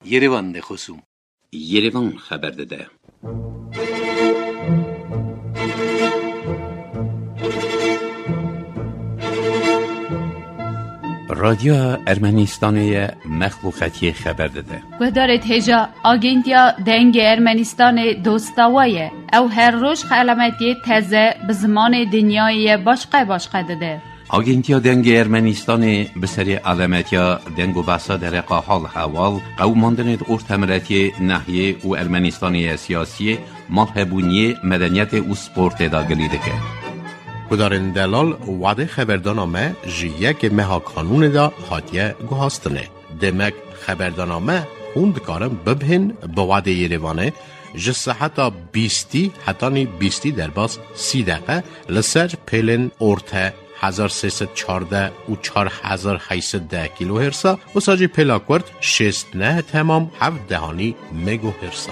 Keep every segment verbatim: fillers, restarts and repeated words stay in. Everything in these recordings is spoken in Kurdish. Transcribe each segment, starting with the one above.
Yerevan de xosûm. Yerevan xeber dide. Radyoya Ermenistanê ye, mexluqetiyê xeber dide. Guhdarê hêja, Agentiya Dengê Ermenistanê dosta we ye. Ew her roj xelametiyê teze bi zimanê dinyayê ye başqe başqe dide. Agentiya Dengê Ermenistanê bi serê alemetiya deng û behsa dereqa hal hewal, qewimandinê di ortemiletiyê, nehiyê û Ermenistanê ye siyasiyê, malhebûniyê, medeniyetê û sportê de gilî dike. Gudarên delal, wadê xeberdana me ji yekê meha kanûnê de hatiye guhastinê. Demek xeberdana me hûn dikarin bibihên bi wadê Yerevanê ji seheta bîstî hetanî bîstî derbas sî deqe li ser pêlên orte hezar sê sed çardeh û çar hezar heyt sed deh kîlohêrsa, wisa jî pêla kurt şêst neh temam heft dehanî megohêrsa.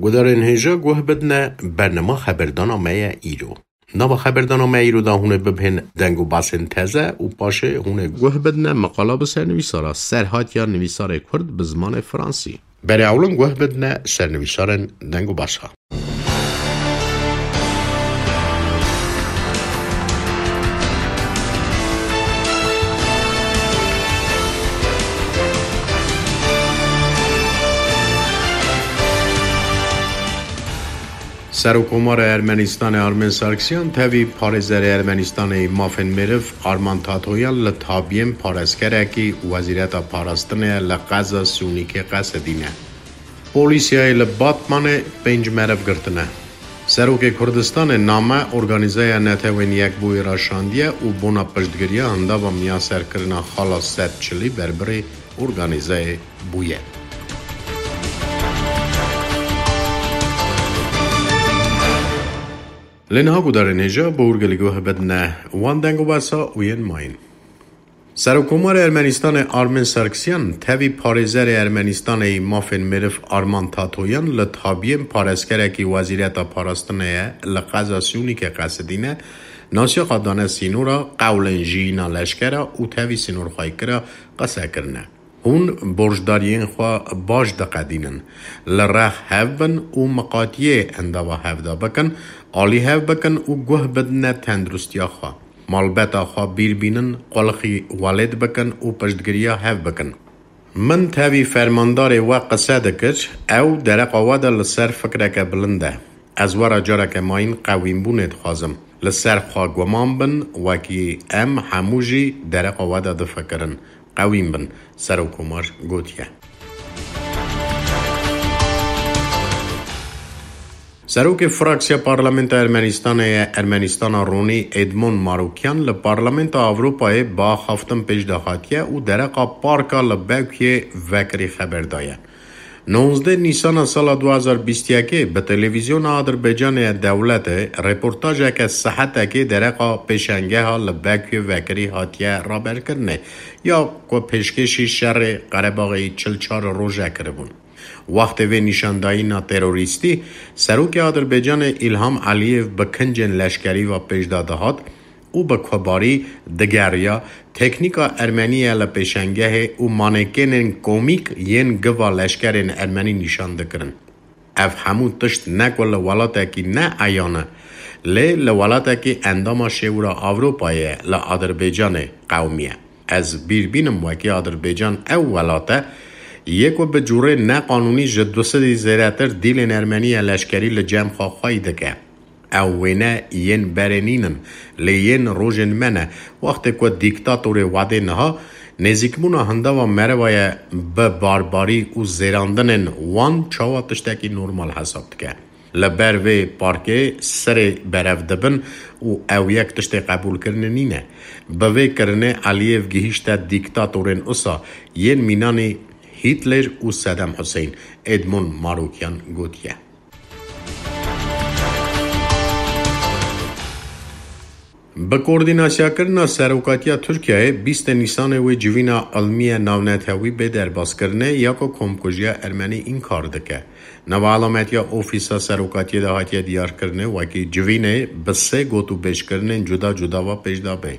Gudarên hêja guh bidine bernama xeberdana me ye îro. Nava xeberdana me îro de hûn ê bibihên deng û basên teze û paşê hûn ê guh bidine meqala bi sernivîsara serhatiya nivîsarê kurd bi zimanê fransî. Berê ewlin guh bidine sernivîsarên deng û basa. Serokkomara Ermenistanê Armen Sarkisyan tevî parêzerê Ermenistanê yê mafên meriv Arman Tatoyan li tabiyên parêzgerekî Wezîreta Parastinê li qeza Sûnîkê qesedîne. Polîsiyayê li Batmanê pênc meriv girtine. Serokê Kurdistanê name Organîzaya Netewên Yekbûyî ra şandiye û bona piştgiriya hindava miyaserkirina xala sed çilî berbirê organîzeyê bûye. Lê niha gudarên hêja bi hûrgilî guh bidine wan deng û basa û yên mayîn. Serokkomarê Ermenistanê Armen Sarkisyan tevî parêzerê Ermenistanê yê mafên meriv Arman Tatoyan li tabiyên parêzgerekî Wezîreta Parastinê ye li qeza Sûnîkê qesidîne, nasiyaxa dane sînora, qewlên jiyîna leşkera û tevî sînorxweyîkira qese kirine. Hûn borcdariyên xwe baş diqedînin. Li rex hev bin û miqatiyê hindava hev de bikin, alî hev bikin û guh bidine tenduristiya xwe. Malbeta xwe bîr bînin, qulixî welêt bikin û piştgiriya hev bikin. Min tevî fermandarê we qise dikir, ew dereqa we de li ser fikreke bilind e. Ez we re careke mayîn qewînbûnê dixwazim. Li ser xwe guman bin, wekî em hemû jî dereqa we de difikirin. Qewîn bin, Serokkomar gotiye. Serokê Fraksiya Parlamenta Ermenistanê ye Ermenistana Ronî Edmond Marokyan li Parlamenta Ewropayê bi axaftin pêş de hatiye û dereqa parka li Bekuyê vekirî xeber daye. Nonzdeh Nîsana sala du hazar bîst yekê bi televîzyona Adirbaycanê ya dewletê reportajeke saetekê dereqa pêşengeha li Bekuyê vekirî hatiye raberkirinê ya ku pêşkêşî şerê Qerebaxê çil çar roje kiribûn. Wextê vê nîşandayîna terorîstî, Serokê Adirbaycanê Îlham Eliyev bi kincên leşkerî ve pêş de dihat û bi kubarî digeriya, teknîka ermenî ye li pêşengehê û manekênên komîk yên giva leşkerên ermenî nîşan dikirin. Ev hemû tişt ne ku li welatekî ne eyan e, lê li welatekî endama Şêwira Ewropayê ye, li Adirbaycanê qewimiye. Ez bîr bînim wekî Adirbaycan ew welat e, yê ku bi cûrê neqanûnî ji du sedî zêdetir dîlên ermenî ya leşkerî li cem xwe xweyî dike. Ew wêne yên berê nîn in, lê yên rojên me ne. Wextê ku dîktatorê wedê niha nêzîkbûna hindava merivaya bi barbarî û zêrandinên wan çawa tiştekî normal hesab dike. Li ber vê parkê serê berev dibin û ew yek tiştê qebûlkirinê nîne. Bi vê kirinê Eliyev gihîşte dîktatorên usa yên mînanî Hitler û Sedam Huseyîn, Edmond Marokyan gotiye. Bi koordînasyakirina serokatiya Tirkiyeyê, bîstê Nîsanê wê civîna ilmiye navnetewî bê derbaskirinê ya ku komkujiya ermenî înkar dike. Nava elametiya Ofîsa Serokatiyê de hatiye diyarkirinê wekî civînê bi sê gotûbêjkirinên cuda cuda ve pêş de bê.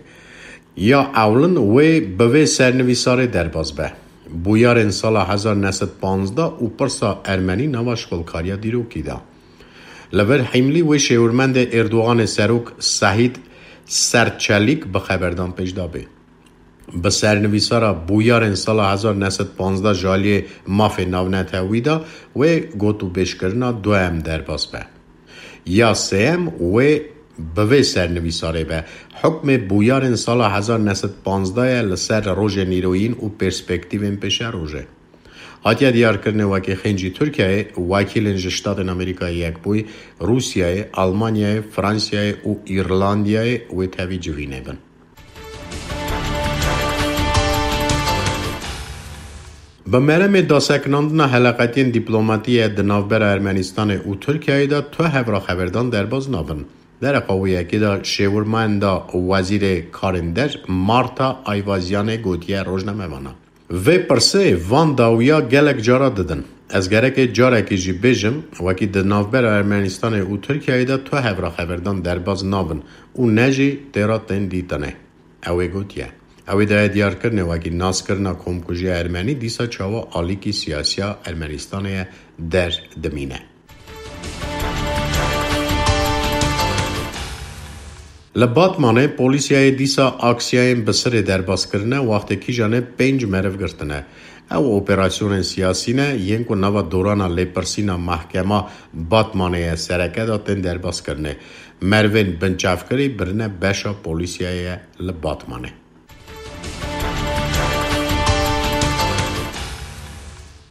Ya ewlin wê bi vê sernivîsarê derbas be. Bûyarên sala hezar neh sed panzdeh û pirsa ermenî nava şixulkariya dîrokî de. Li vir hîmlî wê şêwirmendê Erdoganê serok Sehîd Serçelîk bi xeberdan pêş dabê. Bi sernivîsara bûyarên sala hezar neh sed panzdeh ji aliyê mafê navnetewî de wê gotûbêjkirina duem derbas be. Ya sêyem wê bi vê sernivîsarê be. Hukmê bûyarên sala hezar neh sed panzdeh ye li ser rojên îroyîn û perspektîvên pêşerojê. Hatiye diyarkirinê wekî xêncî Tirkiyeyê, wekîlên ji Ştatên Amerîkayê Yekbûyî, Rûsyayê, Almanyayê, Fransiyayê û Îrlandiyayê wê tevî civînê bin. Bi meremê dasekinandina heleqetiyên dîplomatî ye di navbera Ermenistanê û Tirkiyeyê de tu hevra xeberdan derbas nabin. Dereqa wê yekê de şêwirmenda wezîrê karên der Marta Ayvazyanê gotiye rojnamevana. Vê pirsê van dawiya gelek cara didin. Ez gerek e carekê jî bêjim, wekî di navbera Ermenistanê û Tirkiyeyê de tu hevra xeberdan derbas nabin û ne jî têra tên dîtinê. Ew ê gotiye. Ew ê daye diyarkirinê wekî naskirina komkujiya Ermenî dîsa çawa alîkî siyasiya Ermenistanê ye der dimîne. Li Batmanê polîsiyayê dîsa aksiyayên bi sirê derbas kirine, wextê kîjanê pênc meriv girtine. Ew operasyonên siyasî ne, yên ku nava dorana lêpirsîna mehkema Batmanê ye sereke de tên derbas kirine. Merivên binçavkirî birine beşa polîsiyayê ye li Batmanê.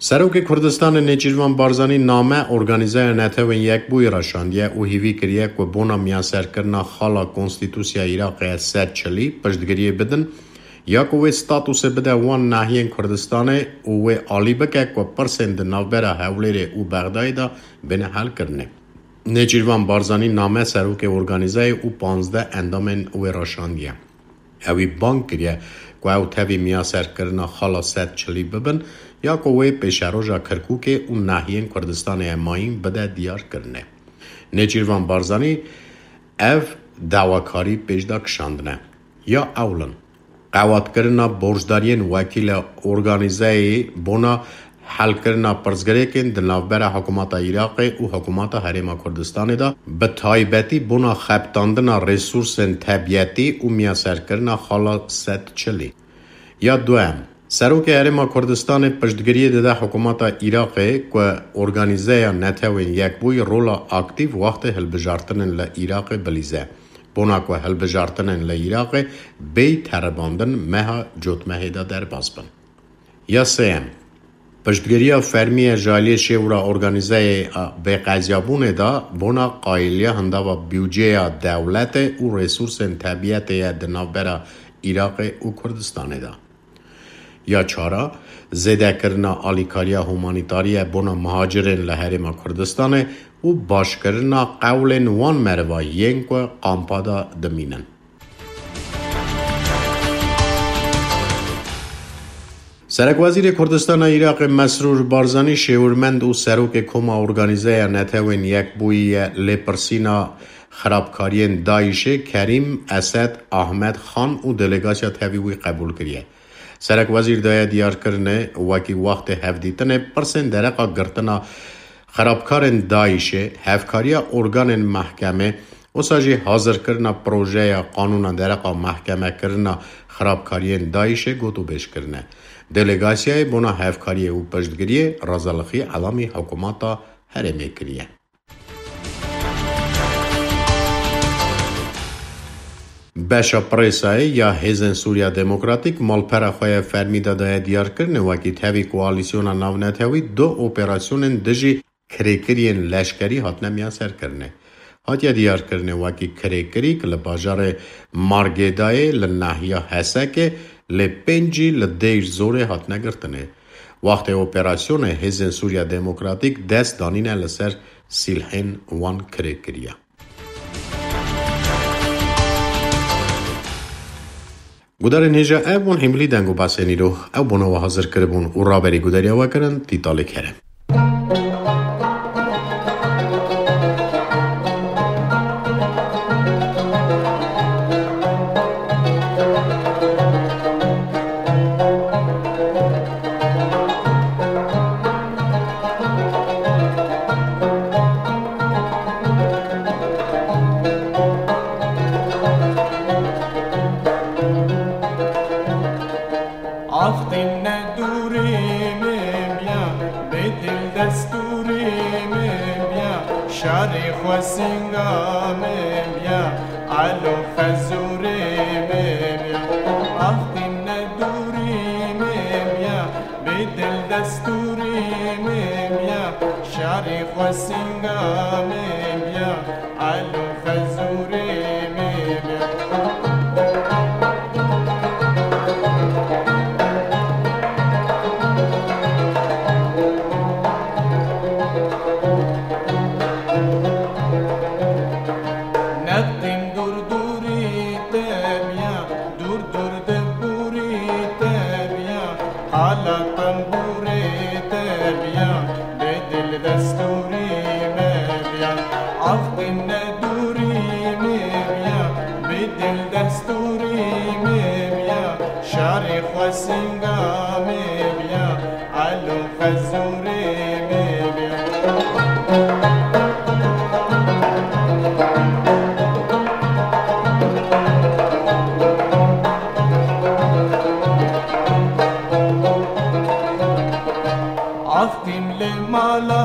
Serokê Kurdistanê Nêçîrvan Barzanî name Organîzeya Netewên Yekbûyî re şandiye û hîvî kiriye ku bona miyaserkirina xala Konstîtusiya Iraqê sed çilî piştgiriyê bidin, ya ku wê statusê bide wan nahiyên Kurdistanê û wê alî bike ku pirsên di navbera Hewlêrê û Bexdayê de bêne helkirinê. Nêçîrvan Barzanî name serokê organîzeyê û panzdeh endamên wê re şandiye. Ewî bang kiriye ku ew tevî miyaserkirina xala sed çilî bibin, ya ku wê pêşeroja Kirkûkê û nahiyên Kurdistanê ye mayîn bide diyarkirinê. Nêçîrvan Barzanî ev dawakarî pêş de kişandine. Ya ewlin, qewatkirina borcdariyên wekîle organîzeyê bona helkirina pirsgirêkên di navbera hikûmeta Iraqê û hikûmeta Herêma Kurdistanê de, bi taybetî bona xebitandina resûrsên tebiyetî û miyaserkirina xala sed çilî. Ya duem, Serokê Herêma Kurdistanê piştgiriyê dide hikûmeta Iraqê ku Organîzeya Netewên Yekbûyî rola aktîf wextê hilbijartinên li Iraqê bilîze. Bona ku hilbijartinên li Iraqê bêyî teribandin meha cotmehê de derbas bin. Ya sêyem, piştgiriya fermî ye ji aliyê şêwra organîzeyê a bêqeziyabûnê de bona qayîliya hindava bûdceya dewletê û resûrsên tebiyetê ye di navbera Iraqê û Kurdistanê de. Ya çara, zêdekirina alîkariya humanîtarî ye bona muhacirên li Herêma Kurdistanê û başkirina qewlên wan meriva yên ku kampa de dimînin. Serekwezîrê Kurdistana Iraqê Mesrûr Barzanî şêwirmend û serokê Koma Organîzeya Netewên Yekbûyî ye lêpirsîna xirabkariyên DAIŞê Kerîm Esed Ahmed Xan û delegasiya tevî wî qebûl kiriye. Serekwezîr daye diyarkirinê, wekî wextê hevdîtinê pirsên dereqa girtina xirabkarên DAIŞê, hevkariya organên mehkemê, wisa jî hazirkirina projeya qanûna dereqa mehkemekirina xirabkariyên DAIŞê gotûbêj kirine. Delegasiyayê bona hevkariyê û piştgiriyê razalixî elamî hikûmeta herêmê kiriye. Beşa Presayê ya Hêzên Sûriya Demokratîk malpera xwe ya fermî de daye diyarkirinê, wekî tevî koalîsyona navnetewî du operasyonên dijî kirêkiriyên leşkerî hatine miyaserkirinê. Hatiye diyarkirinê, wekî kirêkirîk li bajarê Margêdayê li nahiya Hesekê, lê pêncî li Dêr Zorê hatine girtinê. Wextê operasyonê Hêzên Sûriya Demokratîk dest danîne li ser sîlhên wan kirêkiriye. Gudarên hêja, ev bûn hîmilî deng û basên îro. Ew bona we hazir kiribûn û raberî gudariya we kirin, Tîtalê Kerem. Xwesinga me biya, alo xezûrê me biya. Axtîm ne dûrî me biya, bêdil destûrî me biya. Şarî xwesinga me biya, alo xezûrê me biya. Nextîm dûr dûrî te biya, dûr dûr di bûrî te biya, qala tembûrê te biya, bêdil destûrî me biya. Axtîm ne dûrî me biya, bêdil destûrî me biya, şarê xwesinga me biya. Alo xezûrê me biya. Axtîm li mala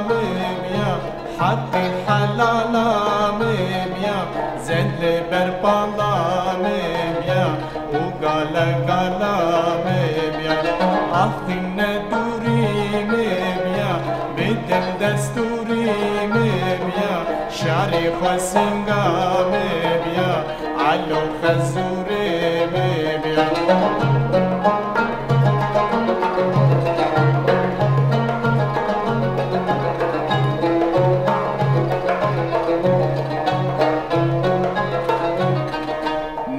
me biya, heqê helala me biya, zend li ber pala me biya, û gale gala me biya. Axtîm ne dûrî me biya, bêdil destûrî me biya, şarê xwesinga me biya, alo xezûrê me biya.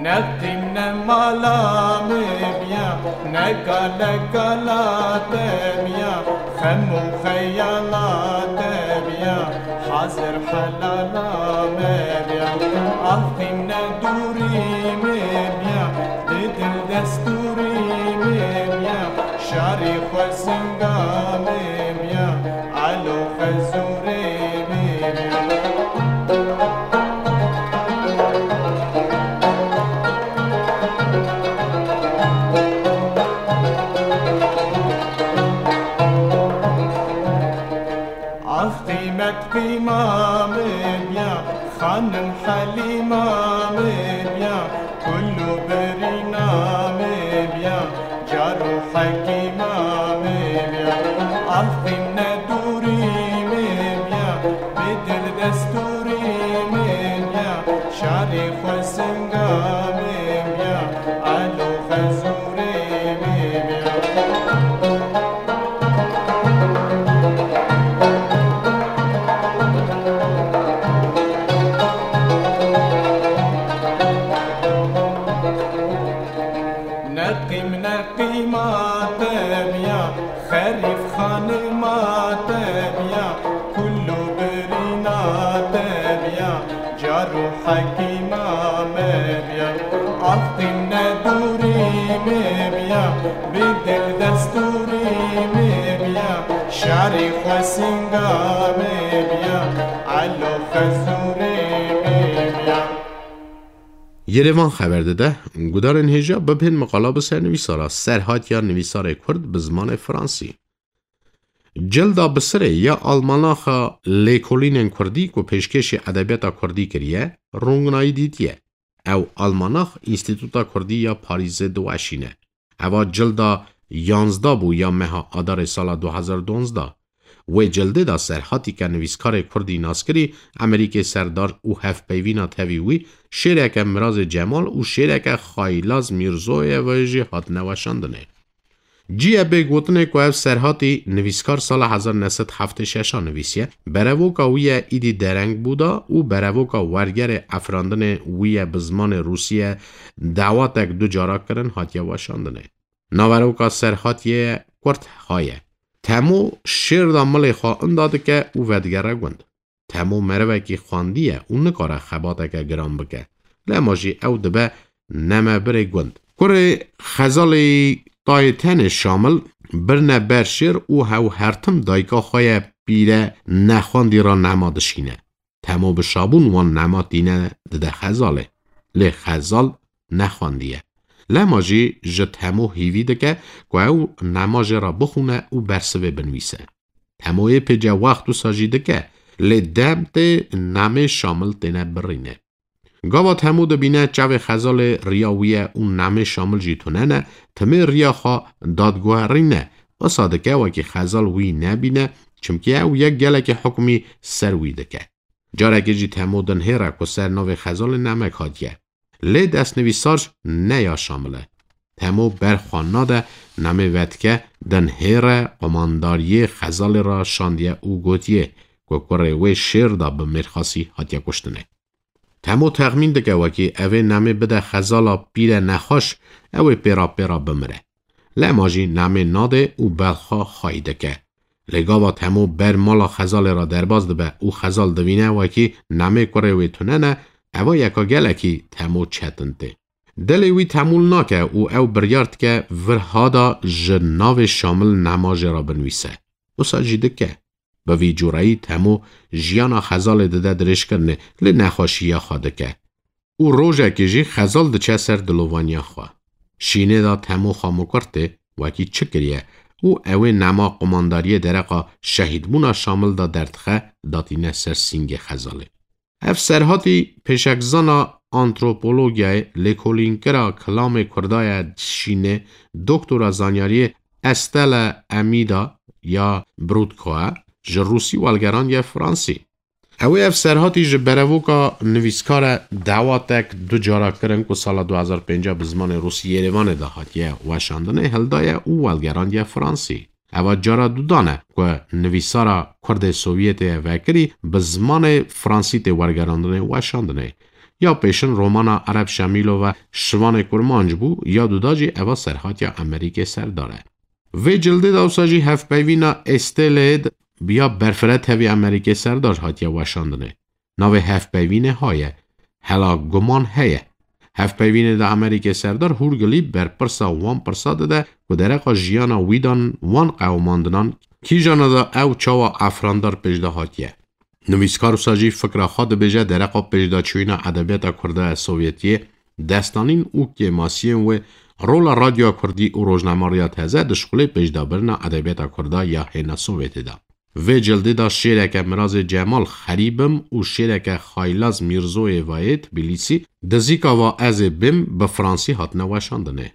Nextîm ne mala me biya, ne gale gala te biya, xem û xeyala te biya, hazir helala me biya. Axtîm ne dûrî me biya, bêdil destûrî me biya, şarê xwesinga me biya, alo xezûrê me biya. Ax qîmet qîma me biya, xanim Helîma me biya, kul û birîna me biya, car û hekîma me biya. Ax qîm ne dûrî me biya, bêdil destûrî me biya, şarê xwesinga me biya, alo xezûrê me biya. Ne qîm ne qîma te biya, xerîf xanima te biya, kul û birîna te biya, car û hekîma me biya. Ax qîm ne dûrî me biya, bêdil destûrî me biya, şarê xwesinga me biya, alo xezûrê me biya. Yerevan xeber dide, gudarên hêja bibhên miqala bi sernivîsara Serhat ya nivîsarê Kurd bi zimanê Fransî. Cilda Bisirê ya almanaxa Lêkolînên Kurdî ku pêşkêşî edebiyata Kurdî kiriye, rûngnayî dîtiye. Ew almanax Înstîtuta Kurdî ya Parîzê diweşîne. Eva cilda yanzdeh bû ya meha Adarê sala du hezar duwazdeh. Wê cildê de Serhatî ke nivîskarê Kurdî naskirî, Emerîkê Serdar û hevpeyvîna tevî wî, şêreke Mirazê Cemal û şêreke Xaylaz Mîrzoyevê jî hatine weşandinê. Cî ye bê gotinê ku ev Serhatî nivîskar sala hezar neh sed heftê şeş a nivîsiye, berevoka wî ye îdî dereng bû da û berevoka wergerê efirandinê wî ye bi zimanê rûsî ye dawatek du cara kirin hatiye weşandinê. Naveroka Serhatiyê kurt ha ye. Temo şêr da milê xwe inda dike û vedigere gund. Temo merivekî xwendî ye û nikare xebateke giran bike. Lema jî ew dibe nemebirê gund. Kurê Xezalê Tayê Tenê Şamil birine ber şêr û hew her tim dayika xwe ye pîre nexwendî re nema dişîne. Temo bi şabûn wan nema tîne dide Xezalê. Lê Xezal nexwendiye. Lema jî ji Temo hîvî dike ku ew nema jê re bixwîne û bersivê binivîse. Temoyê pêce wext wisa jî dike Lê dem tê Nemê Şamil têne birîne. Gava Temo dibîne çavê Xezalê riya wî ye û Nemê Şamil jî tune ne, timê riya xwe dadguherîne, wisa dike wekî Xezal wî nebîne, çimkî ew yek gelekî hukmî ser wî dike. Carekê jî Temo dinhêre ku ser navê Xezalê nemek hatiye. Lê destnivîsar ne ya Şamil e. Temo ber xwe nade, Nemê vedike dinhêre qumandariyê Xezalê re şandiye û gotiye ku kurê wê şêr de bi mêrxasî hatiye kuştinê. Temo texmîn dike wekî evê Nemê bide Xezala pîre nexweş, ew ê pêra pêra bimire. Lema jî Nemê nade û belxa xwayî dike. Lê gava Temo ber mala Xezalê re derbas dibe û Xezal divîne wekî Nemê kurê wê tune ne, eva yeka gelekî Temo çetin tê. Dilê wî temûl nake û ew biryar dike vir hada ji navê Şamil Nema jê re binivîse. Wisa jî dike. Bi vî cûreyî Temo jiyana Xezalê dide dirêjkirinê, lê nexweşiya xwe dike. Û rojekê jî Xezal diçe ser dilovaniya xwe. Şînê de Temo xwe mikur tê, wekî çi kiriye û ew ê Nema qumandariyê dereqa şehîdbûna Şamil de derdixe, datîne ser sîngê Xezalê. Ev serhatî pêşekzana antropologiyayê, lêkolînkira kilamê kurda ye Şînê, doktora zanyariyê Estelle Amida ya Brutkoe ji rûsî welgerandiye fransî. Ew ê ev serhatî ji berevoka nivîskare Dawatek du cara kirin ku sala du hezar pênc bi zimanê rûsî Yerêvanê de hatiye weşandinê hildaye û welgerandiye fransî. Eva cara dudan e ku nivîsara kurdê Sovyetê vekirî bi zimanê fransî tê wergerandinê û weşandinê. Ya pêşin romana Ereb Şemîlova Şivanê Kurmanc bû, ya duda jî eva serhatiya Amerîkê Serdar e. Vê cildê de wisa jî hevpeyvîna Estelê ya berfireh tevî Amerîkê Serdar hatiye weşandinê. Navê hevpeyvînê haye. Hela guman heye. Hevpeyvînê de Amerîkê Serdar hûrgilî berpirsa wan pirsa dide ku dereqa jiyana wî dan wan qewmandinan kîjana de ew çawa efrandar pêşde hatiye. Nivîskar wisa jî fikra xwe dibêje dereqa pêşdaçûyîna edebiyata kurda ya Sovyetiyê, destanîn û kêmasiyên wê, rola radyoya kurdî û rojnamariya teze di şixulê pêşdabirina edebiyata kurda ya hêna Sovyetê de. Vê cildê de şêreke Mirazê Cemal Xerîbim û şêreke Xaylaz Mîrzoyê Vayê Tbilîsî, Dizîka va ez ê bêm, bi fransî hatine weşandinê.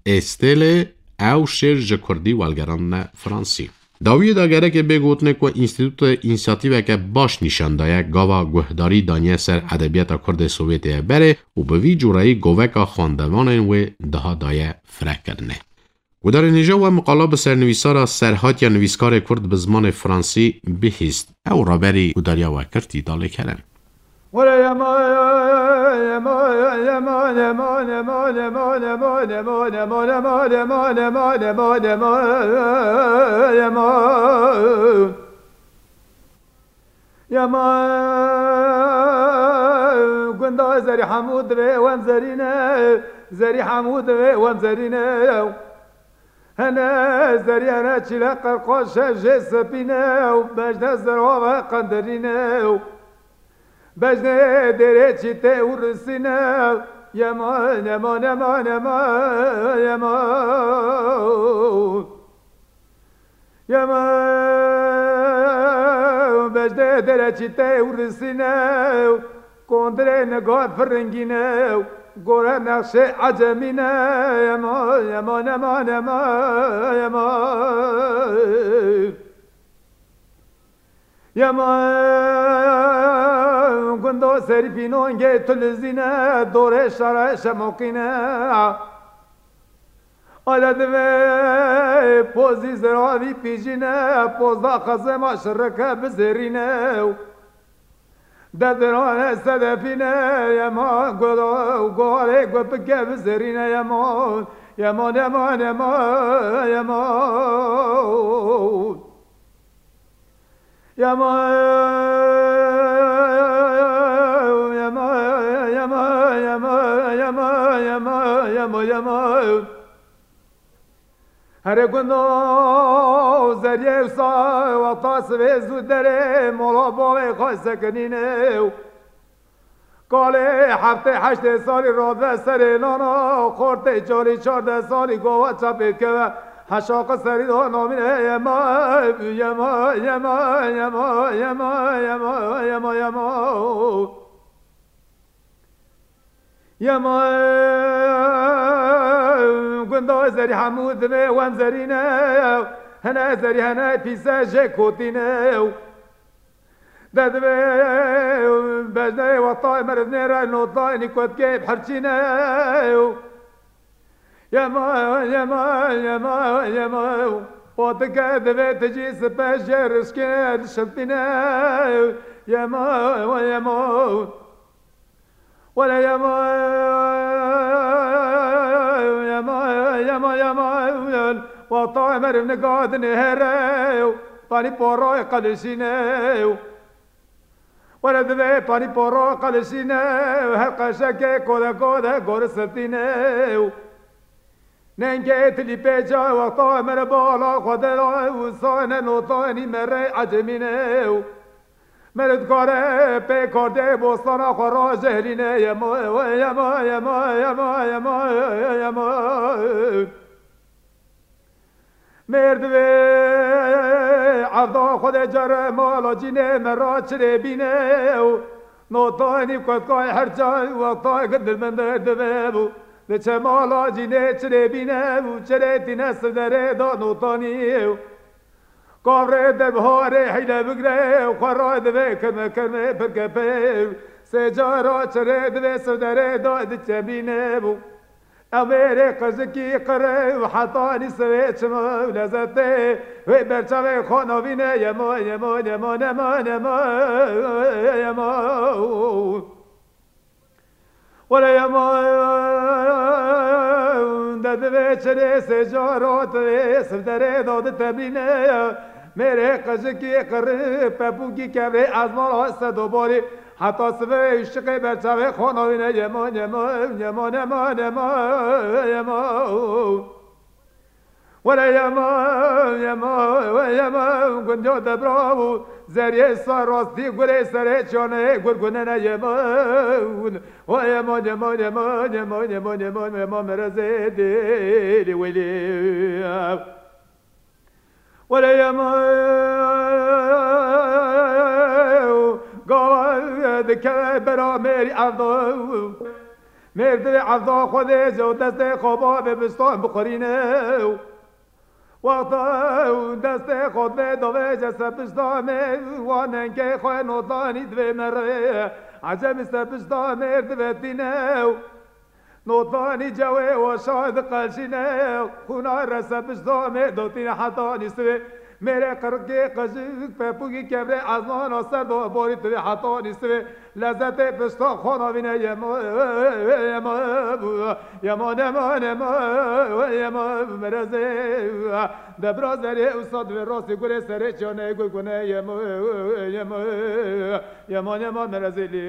Êstêlê ew şêr ji kurdî welgerandine fransî. Dawiyê de gerekê bê gotinê ku înstîtûtê însiyatîveke baş nîşan daye, gava guhdarî daniye ser edebiyata kurdê Sovyetê ye berê û bi vî cûreyî goveka xwendevanên wê daha daye firekirinê. Gudarên hêja we miqala bi sernivîsara serhatiya nivîskarê kurd bi zimanê fransî bihîst. Ew raberî gudariya we kir Tîdalê Kerem. Yema gunda Zerî Hemû divê wem zerîne, Zerî Hemû divê wem zerîne. Hene zerî hene çîle qerqaşe jê sepîne û bejde zerave qenderîne. Bejde dêrê çîtê û risîne. Yema, yema, yema, yema, yema. Yema bejde dere çîtê û risîne, kondirê niga firingîne, gore nexşê ecemîne. Yema, yema, yema, yema, yema. Yema gundo serî pînongê tulizîne, dorê şare şemoqîne. Ala divê pozî ziravî pîjîne, pozda xezema şirike bizêrîne. Dedirane sedefîne, yema guhdarê ku bike bizêrîne, yema, yema, yema, yema, yema. Yema, yema, yema. Herê gundo zeriyê wisa wexta sivê zû derê mola bavê xwe sekinîne. Kalê heftê heştê salî rave serê nana, xortê çolî çardeh salî gava çapê keve. Heşaqa serî da namîne yema, yema, yema. Yema, gunda zerî hemû divê wen zerîne, hene zerî hene pîse jê kotîne. De divê bejneyê wexta meriv nêre notayê nîkotkê bihirçîne. Yema, yema, yema, yema. Potike divê tu jî sipe jê rişkê dişiltîne. Yema, yema. Wele yema, yema, yema, yema. Wexta meriv nika dinêhere. Panî poroyê qelişîne. Were divê panî poro qelişîne, her qeşekê kode kode gori sirtîne. Nengê tilî pêca wexta mere bala xwe de la û sane notanî mere ecemîne. Mere dikare pê kardê bostana xwe ra jehrîne yemo, yemo, yemo. Mêr divê evda xwe de care mala cînê me ra çirê bîne û notanî kotkay her ca wexta gidil min der divê bû. Diçe mala cînê çirê bîne û çirê tîne sivderê da notanî û kavrê de biharê hîle bigre û xwe ra divê kirme kirme pirkepe û sê cara çirê divê sivderê da diçe bîne bû. Ew mêrê qijikî qirê û hetanî sivê çima û lezetê wê berçavê xwe navîne yemo, yemo, yemo, nemo, nemo, yemo. Wele yemo, de divê çirê sê cara divê sivderê da ditemîne. Mêrê qijikî qirê pepûkî kevrê ezmara sedobarî. Heta sivê şiqê berçavê xwe navîne yemo, yemo, yemo, nemo, nemo, yemo. Wele yemo, yemo, we yemo, gundiyo debra û zeriyê sar rastî gurê serê çiyane gurgunene yemo. We yemo, yemo, yemo, yemo, yemo, yemo, yemo, merezê dêlî welî. Wele yema gava dikeve bera mêrî evda. Mêr divê evda xwe dê ji destê xwe bavê bistan bixurîne. Wexta destê xwe divê dovê ji ser pişta mêr wan nengê xwe notanî divê merê. Ecemî ser pişta mêr divetîne. Notanî cewê weşa diqelşîne, xûna rese pişta mê dotîne heta nîsivê. Mêrê qirikê qejik pepûkî kevrê ezmana ser do borî tivê heta nîsivê. Lezetê pişta xwe navîne yemo, yemo, yemo, nemo, nemo, yemo, merezê. Debra zerê û sa divê rastî gurê serê çiyane gul gune yemo, yemo. Yema, yema, merezê lê.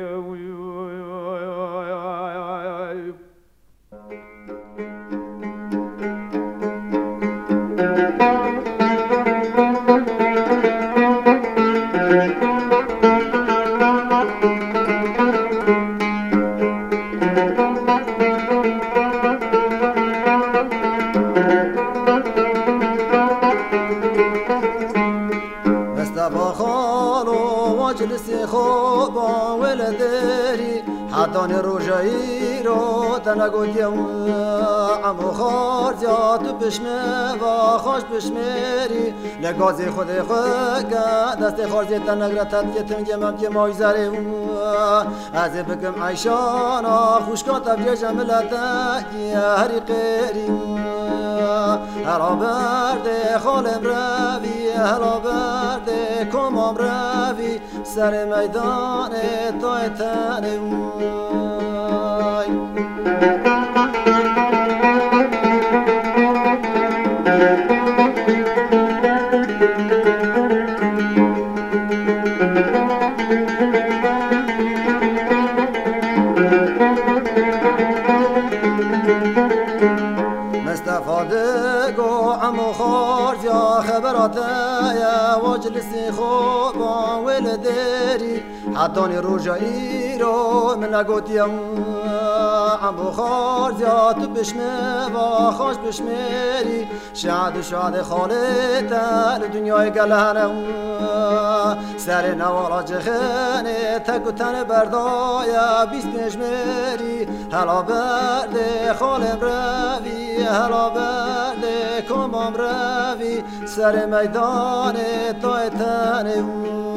Mistefa xalo, wa cilisê xo ba wele derî. Hetanî roja îro te negotiye û emo xartiya tu pişme va xaş pişmerî. Le gazê xwedê xwe ke destê xartiyê te negre tetkiye tingê memkê mayzerê û ez ê bikim eyşana xûşka te bêje milete ki herî qêrî. Hela berdê xalê mirevî, hela berdê koma mirevî, serê meydanê tayê tenê way. Mistefa digo emo xartiya xebera te ye, wa cilisê xo ba wê li derî. Hetanî roja îro min negotiye, emo xarziya tu pişme va xaş pişmerî, şad û şadê xalê te li dinyayê gel hene. Serê newala cixênê te ku tenê berdaye bîst pênc mêrî, hela berdê xalê mirevî, hela berdê koma mirevî. Serê meydanê tayê tenê way.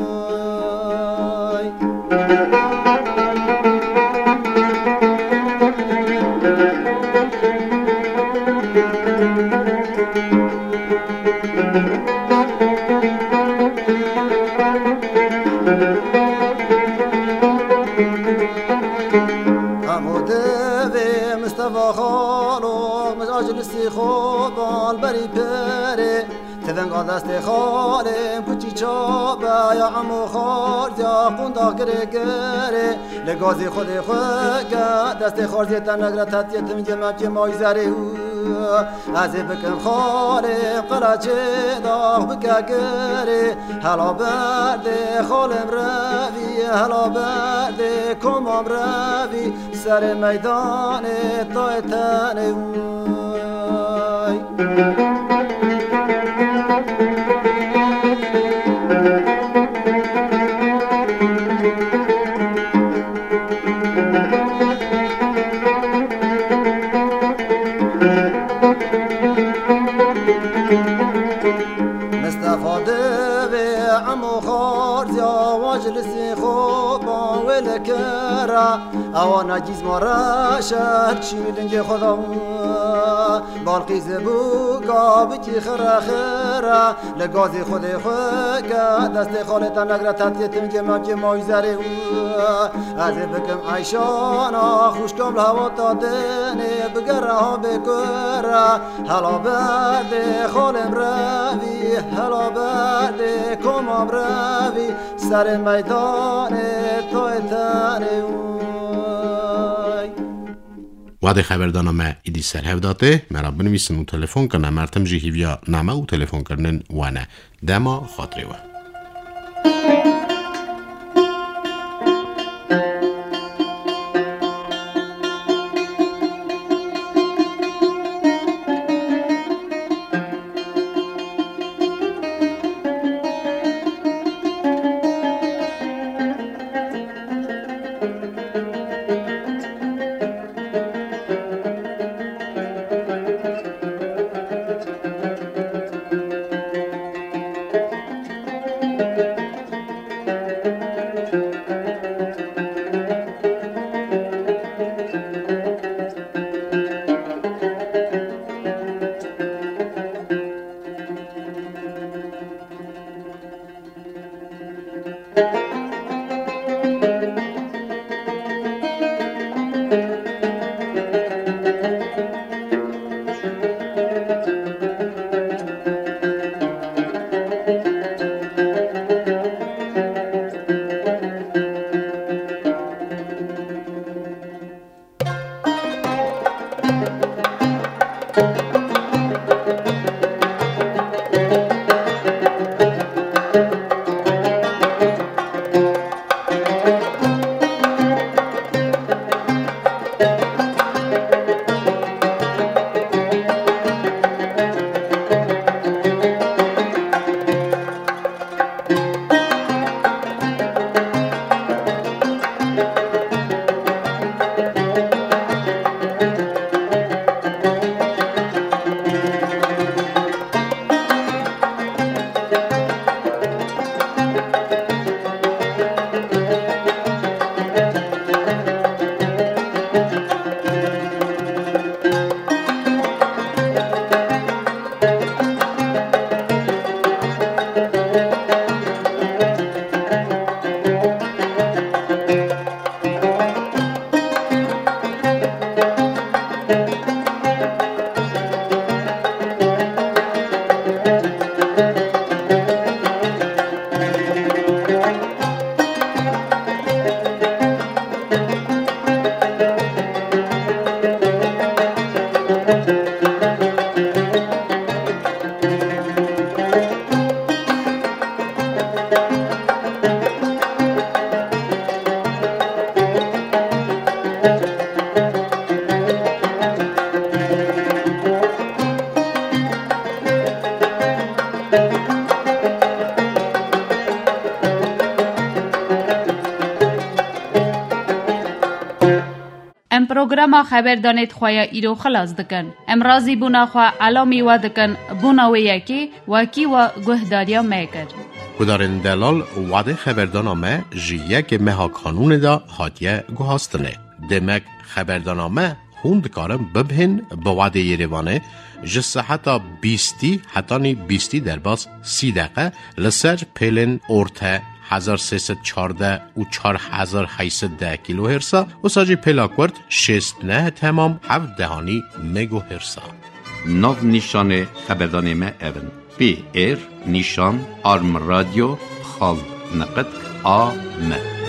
Hemû devê Mistefa xalo, min acilî sîxo bal berî perê. Tivenga destê xalê kuçî çabe ya emo xarziya qunda girê girê. Li gazî xwedê xwe ke destê xarziyê te negre tetiye tim cemem cê may zerê û ez ê bikim xalê qelaçê dax bike girê. Hela berdê xalê mirevî, hela berdê koma mirevî. Serê meydanê tayê tenê way. Mistefa divê emo xarziya wajilî sîxo ban wê li kira. Ewana cîzma reşer çî dingê xwe da. Balqîzê bûka bikî xire xire. Li gazî xwedê xwe ke destê xalê te negre tetiye tim cê mem cê may zerê û ez ê bikim eyşana xwişkam li hewa ta tenê bigere ha bê kure. Hela berdê xalê mirevî, hela berdê koma mirevî. Serê meydanê tayê tenê way. Wadê xeberdana me îdî ser hev datê, me re binivîsin û telefon kirine, mertim jî hîviya name û telefonkirinên we ne. Dema xatirê we. Programa xeberdanê di xwe ya îro xilas dikin. Em razîbûna xwe elamî we dikin, bona wê yekê wekî we guhdariya me kir. Guhdarên delal, wadê xeberdana me ji yekê meha kanûnê de hatiye guhastinê. Demek xeberdana me hûn dikarin bibihên bi wadê Yerêvanê ji seheta bîstî hetanî bîstî derbas sî deqe li ser pêlên orte hezar sê sed çardeh û çar hezar heyt sed deh kilohersa, wisa jî pêla kurt şêst neh temam heft dehanî megohersa. Nav nîşanê xeberdanê me ev in: P R nîşan arm radio xal niqitk a m.